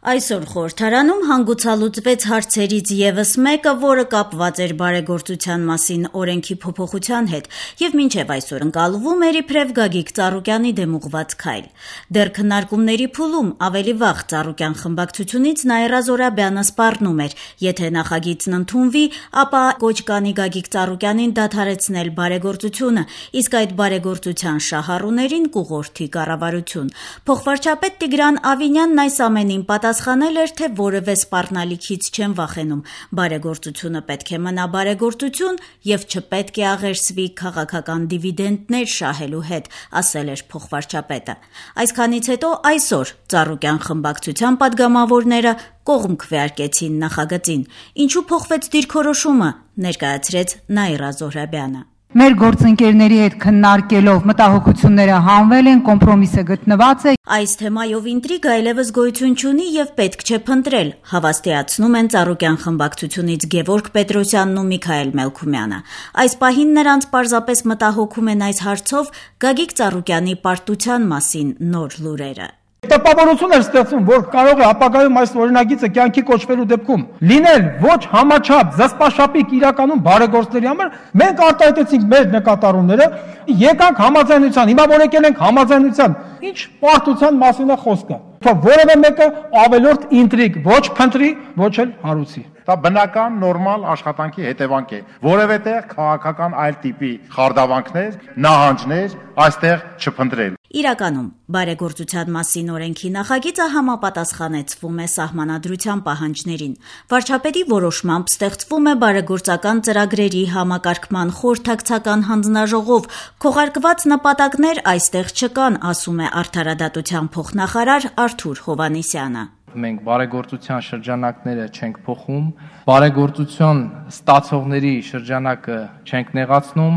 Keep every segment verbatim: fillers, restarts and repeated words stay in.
Այսօր խորհրդարանում հանգուցալուծվեց հարցերից ևս մեկը, որը կապված էր բարեգործության մասին օրենքի փոփոխության հետ եւ մինչեւ այսօր ընկալվում էր իբրև Գագիկ Ծառուկյանի դեմ ուղղված քայլ։ Դեռ քննարկումների փուլում ավելի վաղ Ծառուկյան խմբակցությունից Նաիրա Զոհրաբյանը սպառնում էր, եթե նախագիծն ընդունվի, ապա կոչ կանի Գագիկ Ծառուկյանին դադարեցնել բարեգործությունը, իսկ այդ բարեգործության շահառուներին կուղղորդի կառավարություն։ Փոխվարչապետ Տիգրան Ավինյանն այս ամենին պատասխանել էր, թե որևէ սպառնալիքից չեն վախենում։ Բարեգործությունը պետք է մնա բարեգործություն եւ չպետք է աղերսվի քաղաքական դիվիդենտներ շահելու հետ, ասել էր փոխվարչապետը։ Այսքանից հետո այսօր Ծառուկյան խմբակցության падգամավորները կողմ քվեարկեցին նախագծին։ Ինչու փոխվեց դիրքորոշումը, ներկայացրեց Նաիրա Զոհրաբյանը։ Մեր գործընկերների հետ քննարկելով մտահոգությունները հանվել են, կոմպրոմիսը գտնված է։ Այս թեմայով ինտրիգ այլևս գոյություն չունի եւ պետք չէ փնտրել, հավաստիացնում են Ծառուկյան խմբակցությունից Գևորգ Պետրոսյանն ու Միքայել Մելքումյանը։ Այս պահին նրանց պարզապես մտահոգում են այս հարցով Գագիկ Ծառուկյանի պարտության մասին նոր լուրերը։ Տպավորություն է ստեղծում, որ կարող է ապագայում այս օրինագիծը կյանքի կոչվելու դեպքում լինել ոչ համաչափ զսպաշապիկ իրականում բարեգործների համար, մենք արտահայտեցինք մեր նկատառումները, եկանք համաձայնության, հիմա որ եկել ենք համաձայնության, ինչ պարտության մասին է խոսքը։ Թող որևէ մեկը ավելորդ ինտրիգ ոչ փնտրի, ոչ էլ հարուցի։ Դա բնական նորմալ աշխատանքի հետևանք է։ Որևէ տեղ քաղաքական այլ տիպի խարդավանքներ, նահանջներ այստեղ չփնտրել։ Իրականում բարեգործության մասին օրենքի նախագիծը համապատասխանեցվում է սահմանադրության պահանջներին։ Վարչապետի որոշմամբ ստեղծվում է բարեգործական ծրագրերի համակարգման խորհրդակցական հանձնաժողով։ Քողարկված նպատակներ այստեղ չկան, ասում է Արդարադատության փոխնախարար Արթուր Հովհաննիսյանը։ Մենք բարեգործության շրջանակները չենք փոխում, բարեգործություն ստացողների շրջանակը չենք նեղացնում,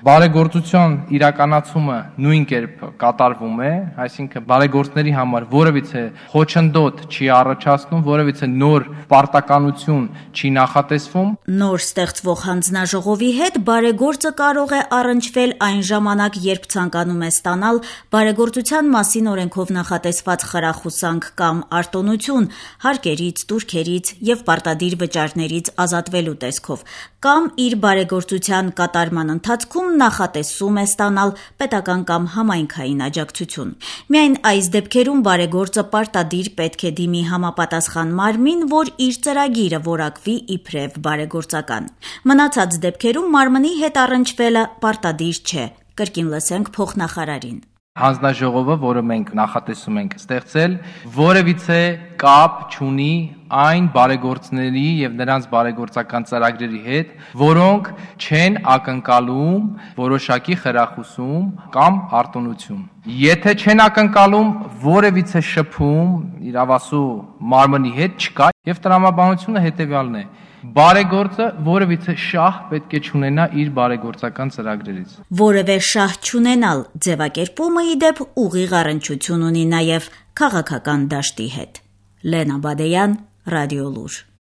բարեգործության իրականացումը նույն կերպ կատարվում է, այսինքն բարեգործների համար որևիցե խոչընդոտ չի առաջացնում, որևիցե նոր պարտականություն չի նախատեսվում։ Նոր ստեղծվող հանձնաժողովի հետ բարեգործը կարող է առնչվել այն ժամանակ, երբ ցանկանում է ստանալ բարեգործության մասին օրենքով նախատեսված խրախուսանք կամ արտոնություն, հարկերից, տուրքերից եւ պարտադիր վճարներից ազատվելու տեսքով, կամ իր բարեգործության կատարման ընթացքում նախատեսում է ստանալ պետական կամ համայնքային աջակցություն։ Միայն այս դեպքերում բարեգործը պարտադիր պետք է դիմի համապատասխան մարմին, որ իր ծրագիրը որակվի իբրև բարեգործական։ Մնացած դեպքերում մարմնի հետ առնչվելը պարտադիր չէ։ Կրկին լսենք փոխնախարարին։ Հանձնաժողովը, որը մենք նախատեսում ենք ստեղծել, որևիցե կապ չունի այն բարեգործների եւ նրանց բարեգործական ծրագրերի հետ, որոնք չեն ակնկալում որոշակի խրախուսում կամ արտոնություն։ Եթե չեն ակնկալում, որևիցե շփում իրավասու մարմնի հետ չկա եւ տրամաբանությունը հետեւյալն է. բարեգործը որևիցե շահ պետք է չունենա իր բարեգործական ծրագրերից։ Որևէ շահ չունենալ ձևակերպումը ի դեպ ուղիղ առնչություն ունի նաև քաղաքական դաշտի հետ։ Լենա Բադեյան, Ռադիոլուր։